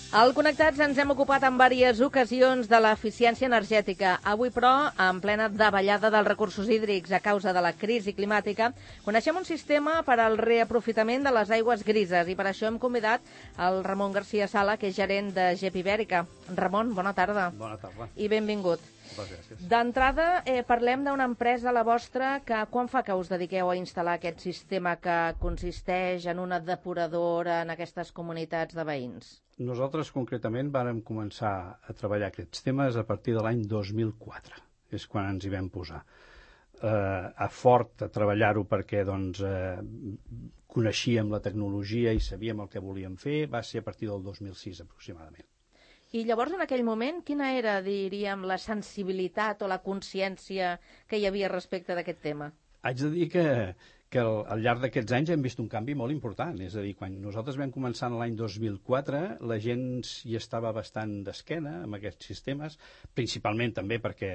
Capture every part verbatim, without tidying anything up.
Al Connectats ens hem ocupat en diverses ocasions de l'eficiència energètica. Avui, però, en plena davallada dels recursos hídrics a causa de la crisi climàtica, coneixem un sistema per al reaprofitament de les aigües grises i per això hem convidat el Ramon García Sala, que és gerent de G E P Ibèrica. Ramon, bona tarda. Bona tarda. I benvingut. Moltes gràcies. D'entrada, eh, parlem d'una empresa, la vostra, que quan fa que us dediqueu a instal·lar aquest sistema que consisteix en una depuradora en aquestes comunitats de veïns? Nosaltres, concretament, vàrem començar a treballar aquests temes a partir de l'any dos mil quatre. És quan ens hi vam posar. Eh, a fort a treballar-ho perquè doncs, eh, coneixíem la tecnologia i sabíem el que volíem fer, va ser a partir del dos mil sis aproximadament. I llavors, en aquell moment, quina era, diríem, la sensibilitat o la consciència que hi havia respecte d'aquest tema? Haig de dir que, que al, al llarg d'aquests anys hem vist un canvi molt important. És a dir, quan nosaltres vam començar l'any dos mil quatre, la gent hi estava bastant d'esquena amb aquests sistemes, principalment també perquè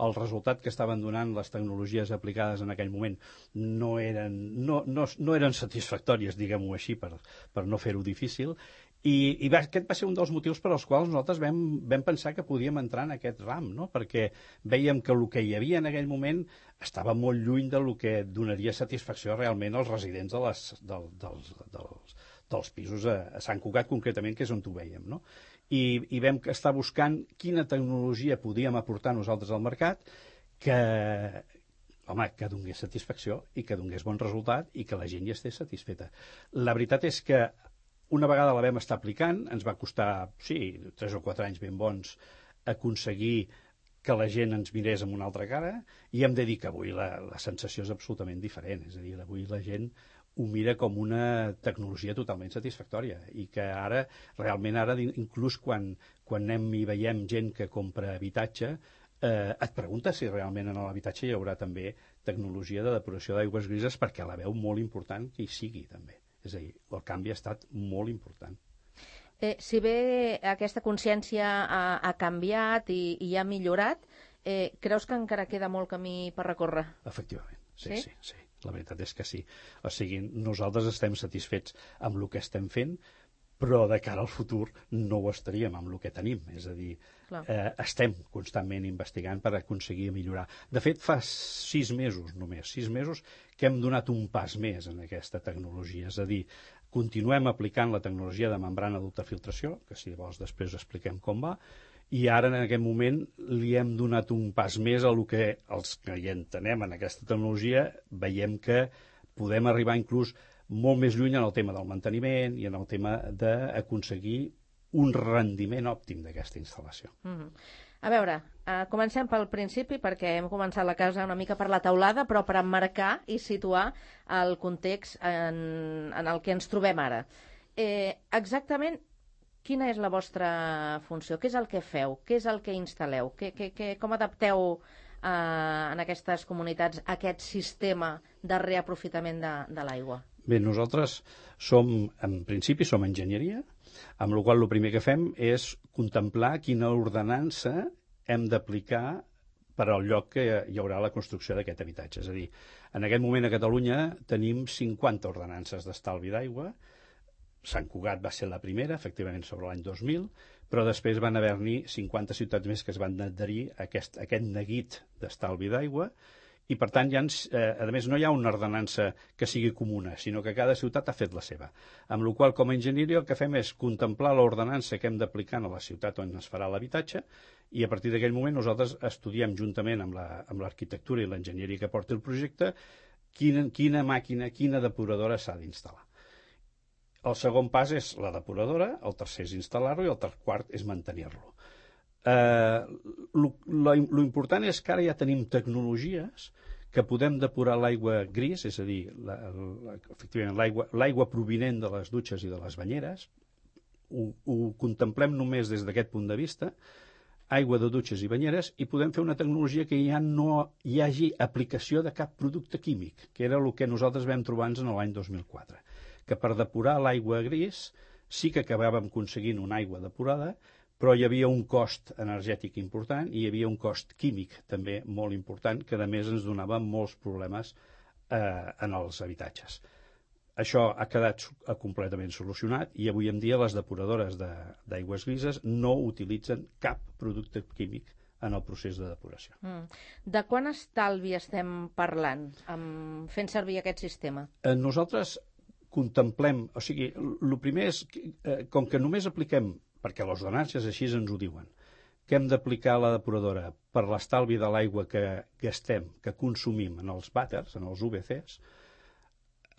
el resultat que estaven donant les tecnologies aplicades en aquell moment no eren, no, no, no eren satisfactòries, diguem-ho així, per, per no fer-ho difícil. I, i va, aquest va ser un dels motius per als quals nosaltres vam, vam pensar que podíem entrar en aquest ram, no? Perquè vèiem que el que hi havia en aquell moment estava molt lluny del que donaria satisfacció realment als residents de les, del, dels, dels, dels pisos a, a Sant Cugat, concretament, que és on ho vèiem, no? I, i vam estar buscant quina tecnologia podíem aportar nosaltres al mercat que, home, que donés satisfacció i que donés bon resultat i que la gent hi estés satisfeta. La veritat és que una vegada la vam estar aplicant, ens va costar, sí, tres o quatre anys ben bons aconseguir que la gent ens mirés amb una altra cara, i hem de dir que avui la, la sensació és absolutament diferent. És a dir, avui la gent ho mira com una tecnologia totalment satisfactòria i que ara, realment ara, inclús quan, quan anem i veiem gent que compra habitatge, eh, et pregunta si realment en l'habitatge hi haurà també tecnologia de depuració d'aigües grises, perquè la veu molt important que hi sigui també. És a dir, el canvi ha estat molt important. Eh, si bé aquesta consciència ha, ha canviat i, i ha millorat, eh, creus que encara queda molt camí per recórrer? Efectivament, sí, sí, sí, sí. La veritat és que sí. O sigui, nosaltres estem satisfets amb el que estem fent, però de cara al futur no ho estaríem amb el que tenim. És a dir, eh, estem constantment investigant per aconseguir millorar. De fet, fa sis mesos només, sis mesos que hem donat un pas més en aquesta tecnologia. És a dir, continuem aplicant la tecnologia de membrana d'ultrafiltració, que si vols després expliquem com va, i ara en aquest moment li hem donat un pas més a el que els que hi entenem en aquesta tecnologia veiem que podem arribar inclús molt més lluny en el tema del manteniment i en el tema d'aconseguir un rendiment òptim d'aquesta instal·lació. Mm-hmm. A veure, eh, comencem pel principi, perquè hem començat la casa una mica per la teulada, però per emmarcar i situar el context en, en el que ens trobem ara. Eh, exactament, quina és la vostra funció? Què és el que feu? Què és el que instal·leu? Que, que, que, com adapteu eh, en aquestes comunitats aquest sistema de reaprofitament de, de l'aigua? Bé, nosaltres som, en principi, som enginyeria, amb la qual cosa el primer que fem és contemplar quina ordenança hem d'aplicar per al lloc que hi haurà la construcció d'aquest habitatge. És a dir, en aquest moment a Catalunya tenim cinquanta ordenances d'estalvi d'aigua. Sant Cugat va ser la primera, efectivament, sobre l'any dos mil, però després van haver-n'hi cinquanta ciutats més que es van adherir a aquest, a aquest neguit d'estalvi d'aigua. I, per tant, ja ens, eh, a més, no hi ha una ordenança que sigui comuna, sinó que cada ciutat ha fet la seva. Amb la qual cosa, com a enginyeria, el que fem és contemplar l'ordenança que hem d'aplicar a la ciutat on es farà l'habitatge, i a partir d'aquell moment nosaltres estudiem juntament amb l'arquitectura la, i l'enginyeria que porti el projecte quina, quina màquina, quina depuradora s'ha d'instal·lar. El segon pas és la depuradora, el tercer és instal·lar-lo i el quart és mantenir-lo. Eh, l'important és que ara ja tenim tecnologies que podem depurar l'aigua gris, és a dir, la, la, efectivament l'aigua provinent de les dutxes i de les banyeres. Ho, ho contemplem només des d'aquest punt de vista, aigua de dutxes i banyeres, i podem fer una tecnologia que ja no hi hagi aplicació de cap producte químic, que era el que nosaltres vam trobar-nos en l'any dos mil quatre, que per depurar l'aigua gris sí que acabàvem aconseguint una aigua depurada, però hi havia un cost energètic important i hi havia un cost químic també molt important, que a més ens donava molts problemes eh, en els habitatges. això ha quedat completament solucionat i avui en dia les depuradores d'aigües grises no utilitzen cap producte químic en el procés de depuració. Mm. De quant estalvi estem parlant amb... fent servir aquest sistema? Eh, nosaltres contemplem, o sigui, el primer és, eh, com que només apliquem, perquè les ordenances així ens ho diuen, que hem d'aplicar la depuradora per l'estalvi de l'aigua que gastem, que consumim en els vàters, en els U V Cs,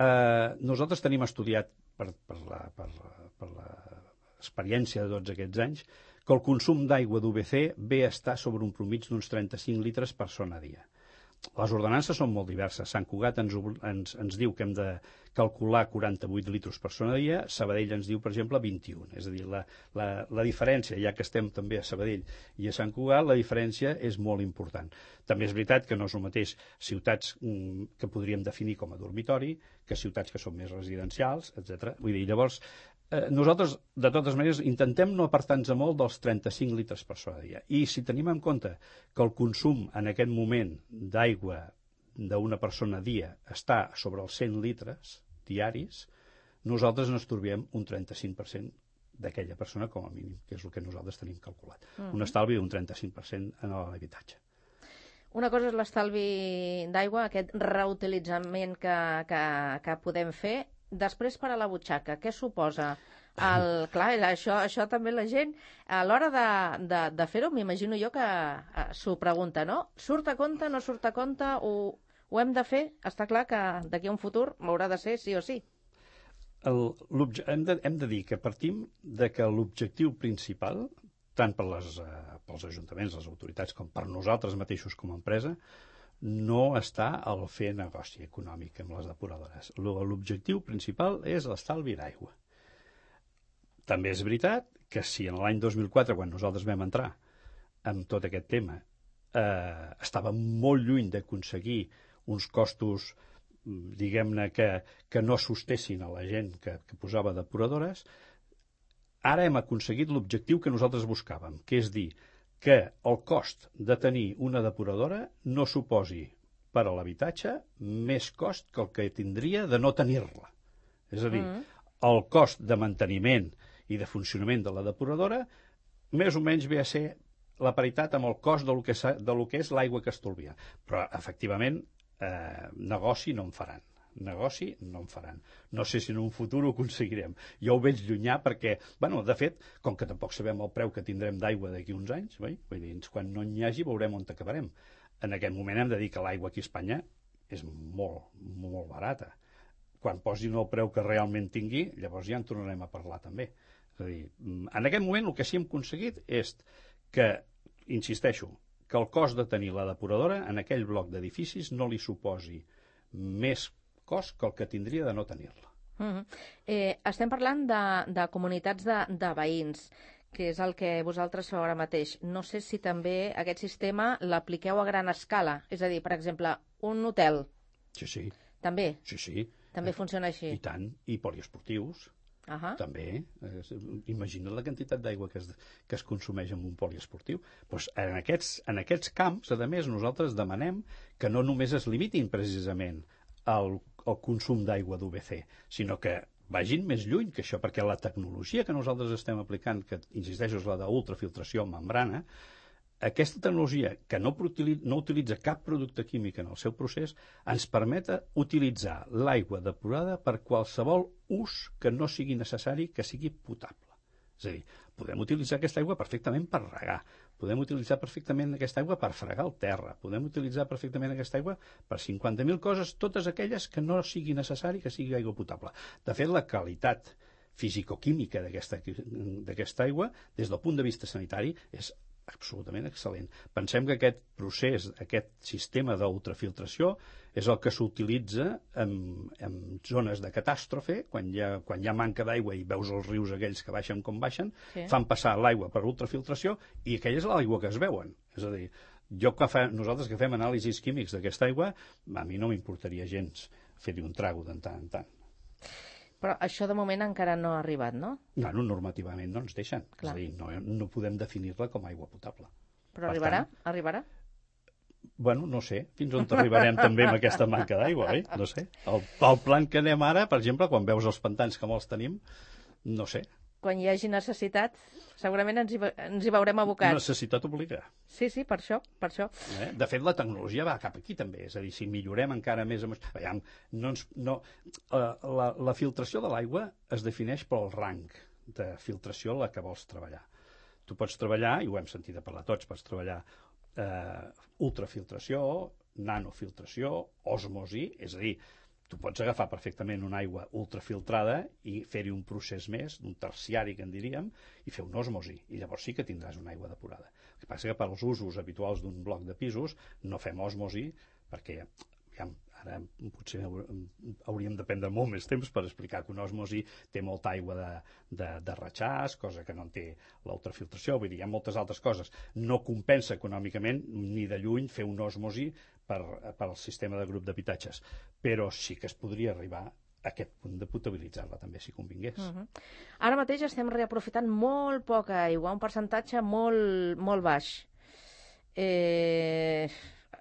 eh, nosaltres tenim estudiat per, per la, per, per l'experiència de tots aquests anys que el consum d'aigua d'U V C ve a estar sobre un promig d'uns trenta-cinc litres per persona a dia. Les ordenances són molt diverses. Sant Cugat ens, ens, ens diu que hem de calcular quaranta-vuit litros per persona a dia, Sabadell ens diu, per exemple, vint-i-un. És a dir, la, la, la diferència, ja que estem també a Sabadell i a Sant Cugat, la diferència és molt important. També és veritat que no és el mateix ciutats mm, que podríem definir com a dormitori que ciutats que són més residencials, etcètera. Vull dir, llavors, eh, nosaltres, de totes maneres, intentem no apartar-nos molt dels trenta-cinc litres per persona a dia. I si tenim en compte que el consum en aquest moment d'aigua d'una persona a dia està sobre els cent litres diaris, nosaltres ens trobem un trenta-cinc per cent d'aquella persona com a mínim, que és el que nosaltres tenim calculat. Mm. Un estalvi d'un trenta-cinc per cent en l'habitatge. Una cosa és l'estalvi d'aigua, aquest reutilitzament que, que, que podem fer. Després, per a la butxaca, què suposa? El, clar, això, això també la gent, a l'hora de, de, de fer-ho, m'imagino jo que uh, s'ho pregunta, no? Surt a compte, no surt a compte, ho, ho hem de fer? Està clar que d'aquí a un futur m'haurà de ser sí o sí. El, hem, de, hem de dir que partim de que l'objectiu principal, tant per les, uh, pels ajuntaments, les autoritats, com per nosaltres mateixos com a empresa, no està al fer negoci econòmic amb les depuradores. L'objectiu principal és l'estalvi d'aigua. També és veritat que si en l'any dos mil quatre, quan nosaltres vam entrar amb tot aquest tema, eh, estàvem molt lluny d'aconseguir uns costos, diguem-ne, que, que no sostessin a la gent que, que posava depuradores, ara hem aconseguit l'objectiu que nosaltres buscàvem, que és dir, que el cost de tenir una depuradora no suposi per a l'habitatge més cost que el que tindria de no tenir-la. És a dir, mm. el cost de manteniment i de funcionament de la depuradora més o menys ve a ser la paritat amb el cost del que, de lo que és l'aigua que estolvia. Però, efectivament, eh, negoci no en faran. Negoci no en faran. No sé si en un futur ho aconseguirem. Jo ho veig llunyà perquè, bueno, de fet, com que tampoc sabem el preu que tindrem d'aigua d'aquí uns anys, oi? Vull dir, quan no n'hi hagi veurem on acabarem. En aquest moment hem de dir que l'aigua aquí a Espanya és molt, molt barata. Quan posin el preu que realment tingui, llavors ja en tornarem a parlar també. És a dir, en aquest moment el que sí hem aconseguit és que, insisteixo, que el cost de tenir la depuradora en aquell bloc d'edificis no li suposi més cost que el que tindria de no tenir-la. Mm-hmm. eh, estem parlant de, de comunitats de, de veïns, que és el que vosaltres feu ara mateix. No sé si també aquest sistema l'apliqueu a gran escala. És a dir, per exemple, un hotel. Sí, sí. També? Sí, sí. També eh, funciona així? I tant. I poliesportius. Uh -huh. També. Eh, imagina't la quantitat d'aigua que, es, que es consumeix en un poliesportiu. Pues en, aquests, en aquests camps, a més, nosaltres demanem que no només es limitin precisament al el consum d'aigua d'U V C, sinó que vagin més lluny que això, perquè la tecnologia que nosaltres estem aplicant, que insisteixo és la d'ultrafiltració amb membrana, aquesta tecnologia que no, no utilitza cap producte químic en el seu procés ens permet utilitzar l'aigua depurada per qualsevol ús que no sigui necessari que sigui potable. És a dir, podem utilitzar aquesta aigua perfectament per regar, podem utilitzar perfectament aquesta aigua per fregar el terra, podem utilitzar perfectament aquesta aigua per cinquanta mil coses, totes aquelles que no sigui necessari que sigui aigua potable. De fet, la qualitat fisicoquímica d'aquesta aigua, des del punt de vista sanitari, és absolutament excel·lent. Pensem que aquest procés, aquest sistema d'ultrafiltració és el que s'utilitza en, en zones de catàstrofe, quan hi ha, quan hi ha manca d'aigua i veus els rius aquells que baixen com baixen, sí. Fan passar l'aigua per ultrafiltració i aquella és l'aigua que es veuen. És a dir, jo que fa, nosaltres que fem anàlisis químics d'aquesta aigua, a mi no m'importaria gens fer-hi un trago de tant en tant. Però això de moment encara no ha arribat, no? No, no normativament no ens deixen. Clar. És a dir, no, no podem definir-la com a aigua potable. Però per arribarà? Tant, arribarà? Bueno, no sé, fins on arribarem també amb aquesta manca d'aigua, oi? No sé. El, el plan que anem ara, per exemple, quan veus els pantans que molts tenim, no sé. Quan hi hagi necessitat, segurament ens hi, ens hi veurem abocats. Necessitat obliga. Sí, sí, per això, per això. Eh? De fet, la tecnologia va cap aquí també, és a dir, si millorem encara més... Amb... Veiem, no ens, no... La, la filtració de l'aigua es defineix pel rang de filtració a la que vols treballar. Tu pots treballar, i ho hem sentit a parlar tots, pots treballar eh, ultrafiltració, nanofiltració, osmosi, és a dir, tu pots agafar perfectament una aigua ultrafiltrada i fer-hi un procés més, un terciari, que en diríem, i fer una osmosi, i llavors sí que tindràs una aigua depurada. El que passa que per als usos habituals d'un bloc de pisos no fem osmosi, perquè ja, ara potser hauríem de prendre molt més temps per explicar que una osmosi té molta aigua de, de, de ratxàs, cosa que no en té l'ultrafiltració, vull dir, hi ha moltes altres coses. No compensa econòmicament ni de lluny fer una osmosi per, per al sistema de grup d'habitatges, però sí que es podria arribar a aquest punt de potabilitzar-la també, si convingués. Uh -huh. Ara mateix estem reaprofitant molt poca aigua, un percentatge molt, molt baix. Eh...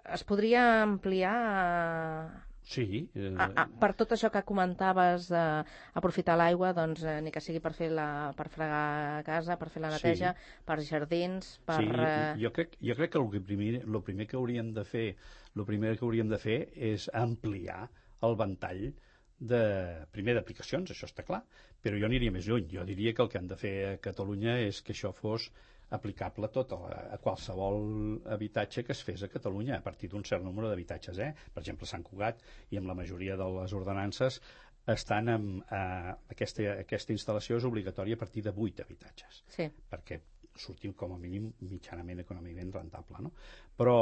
Es podria ampliar... Sí. Eh... A, a, per tot això que comentaves d'aprofitar l'aigua, doncs, eh, ni que sigui per fer la, per fregar a casa, per fer la neteja, sí. Per jardins, per... Sí, jo crec, jo crec que el primer, el primer que hauríem de fer, el primer que hauríem de fer és ampliar el ventall de, primer d'aplicacions, això està clar, però jo aniria més lluny. Jo diria que el que hem de fer a Catalunya és que això fos aplicable tot a, a qualsevol habitatge que es fes a Catalunya, a partir d'un cert número d'habitatges. Eh? Per exemple, Sant Cugat i amb la majoria de les ordenances estan amb... Eh, aquesta, aquesta instal·lació és obligatòria a partir de vuit habitatges, sí. Perquè sortim com a mínim mitjanament econòmicament rentable. No? Però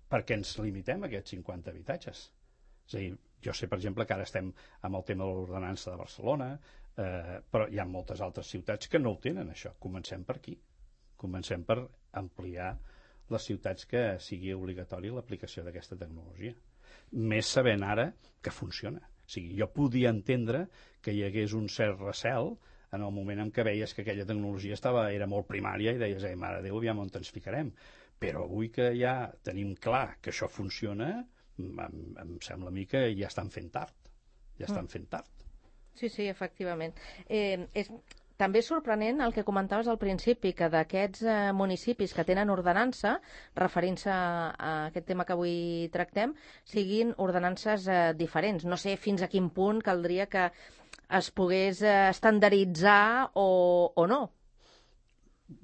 per què ens limitem a aquests cinquanta habitatges? És a dir, jo sé, per exemple, que ara estem amb el tema de l'ordenança de Barcelona, eh, però hi ha moltes altres ciutats que no ho tenen, això. Comencem per aquí. Comencem per ampliar les ciutats que sigui obligatori l'aplicació d'aquesta tecnologia. Més sabent ara que funciona. O sigui, jo podia entendre que hi hagués un cert recel en el moment en què veies que aquella tecnologia estava, era molt primària i deies, eh, mare de Déu, aviam on ens ficarem. Però avui que ja tenim clar que això funciona, em, em sembla a mi que ja estan fent tard. Ja estan mm. fent tard. Sí, sí, efectivament. Eh, és... També és sorprenent el que comentaves al principi, que d'aquests eh, municipis que tenen ordenança, referint-se a, a aquest tema que avui tractem, siguin ordenances eh, diferents. No sé fins a quin punt caldria que es pogués eh, estandarditzar o, o no.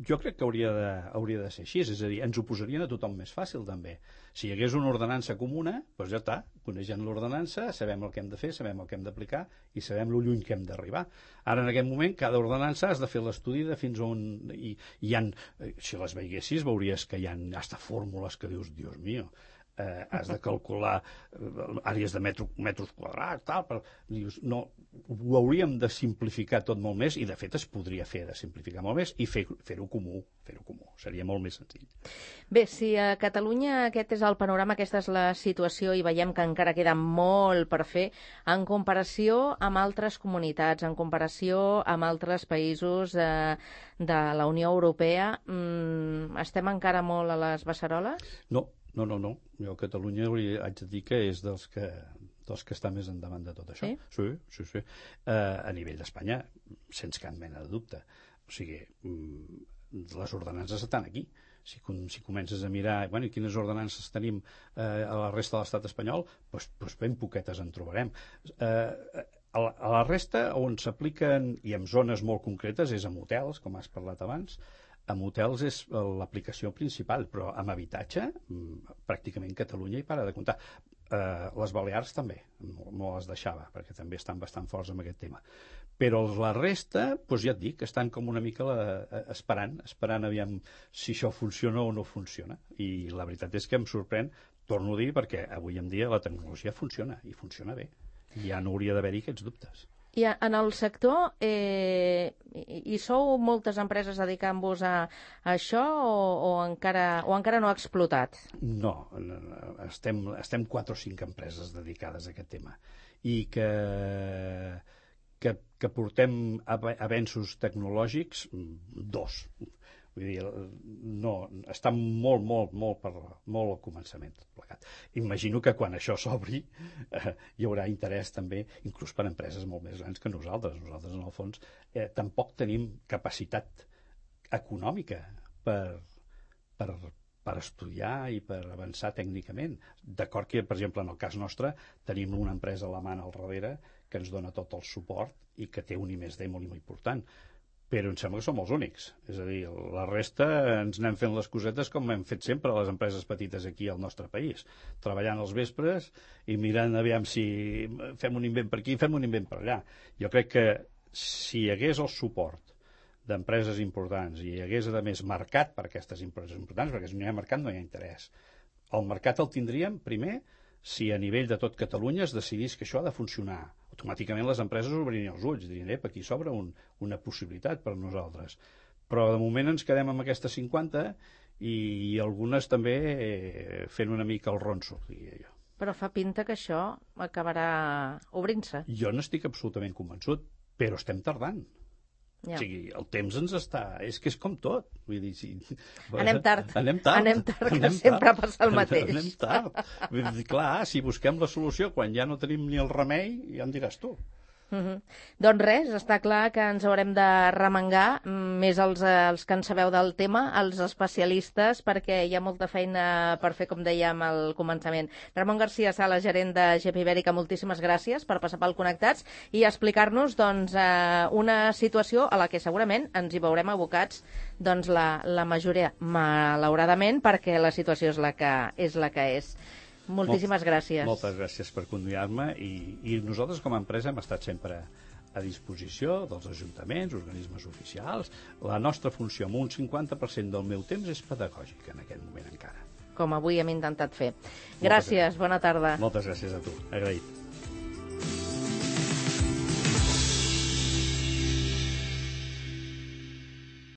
Jo crec que hauria de, hauria de ser així, és a dir, ens ho posarien a tothom més fàcil també. Si hi hagués una ordenança comuna, doncs ja està, coneixent l'ordenança, sabem el que hem de fer, sabem el que hem d'aplicar i sabem lo lluny que hem d'arribar. Ara, en aquest moment, cada ordenança has de fer l'estudi de fins on... I, i hi ha, si les veiessis, veuries que hi ha hasta fórmules que dius, Dios mío, eh, has de calcular eh, àrees de metro, metres quadrats, tal, però dius, no, ho hauríem de simplificar tot molt més, i de fet es podria fer de simplificar molt més i fer-ho fer comú, fer-ho comú, seria molt més senzill. Bé, si a Catalunya aquest és el panorama, aquesta és la situació i veiem que encara queda molt per fer, en comparació amb altres comunitats, en comparació amb altres països de, de la Unió Europea, mmm, estem encara molt a les beceroles? No, no, no, no. Jo a Catalunya haig de dir que és dels que, dels que està més endavant de tot això. Sí? Sí, sí, sí. Uh, a nivell d'Espanya, sense cap mena de dubte. O sigui, les ordenances estan aquí. Si, si comences a mirar, bueno, i quines ordenances tenim eh, a la resta de l'estat espanyol, doncs, doncs ben poquetes en trobarem. Eh, a, la, a la resta, on s'apliquen, i en zones molt concretes, és en hotels, com has parlat abans. En hotels és l'aplicació principal, però amb habitatge, pràcticament Catalunya hi para de comptar. Eh, les Balears també, no, no les deixava, perquè també estan bastant forts amb aquest tema. Però la resta, doncs ja et dic, estan com una mica la, esperant, esperant aviam si això funciona o no funciona. I la veritat és que em sorprèn, torno a dir, perquè avui en dia la tecnologia funciona, i funciona bé. Ja no hauria d'haver-hi aquests dubtes. I en el sector, eh, hi sou moltes empreses dedicant-vos a, a això o, o, encara, o encara no ha explotat? No, estem, estem quatre o cinc empreses dedicades a aquest tema i que, que, que portem avenços tecnològics, dos. Vull dir, no, està molt, molt, molt, per, molt al començament tot plegat. Imagino que quan això s'obri eh, hi haurà interès també, inclús per empreses molt més grans que nosaltres. Nosaltres, en el fons, eh, tampoc tenim capacitat econòmica per, per, per estudiar i per avançar tècnicament. D'acord que, per exemple, en el cas nostre, tenim una empresa alemana al darrere que ens dona tot el suport i que té un I més D molt, molt important. Però em sembla que som els únics. És a dir, la resta ens anem fent les cosetes com hem fet sempre a les empreses petites aquí al nostre país, treballant als vespres i mirant aviam si fem un invent per aquí, fem un invent per allà. Jo crec que si hi hagués el suport d'empreses importants i hi hagués, a més, mercat per aquestes empreses importants, perquè si no hi ha mercat no hi ha interès. El mercat el tindríem, primer, si a nivell de tot Catalunya es decidís que això ha de funcionar. Automàticament les empreses obririen els ulls, dirien, ep, aquí s'obre un, una possibilitat per nosaltres. Però de moment ens quedem amb aquestes cinquanta i, i algunes també eh, fent una mica el ronso, diria jo. Però fa pinta que això acabarà obrint-se. Jo n'estic absolutament convençut, però estem tardant. Ja. O sigui, el temps ens està... És que és com tot. Vull dir, si... Anem tard. Anem tard. Anem tard, que anem sempre tard. passa el mateix. Anem tard. Vull dir, clar, si busquem la solució quan ja no tenim ni el remei, ja em diràs tu. Uh-huh. Doncs res, està clar que ens haurem de remengar, més els, els que en sabeu del tema, els especialistes, perquè hi ha molta feina per fer, com dèiem al començament. Ramon García Sala, gerent de G P Ibèrica, moltíssimes gràcies per passar pel Connectats i explicar-nos doncs, eh, una situació a la que segurament ens hi veurem abocats doncs, la, la majoria, malauradament, perquè la situació és la que és. La que és. Moltíssimes Molt, gràcies. Moltes gràcies per convidar-me i, i nosaltres com a empresa hem estat sempre a disposició dels ajuntaments, organismes oficials. La nostra funció, amb un cinquanta per cent del meu temps, és pedagògica en aquest moment encara. Com avui hem intentat fer. Gràcies, bona tarda. Moltes gràcies a tu, agraït.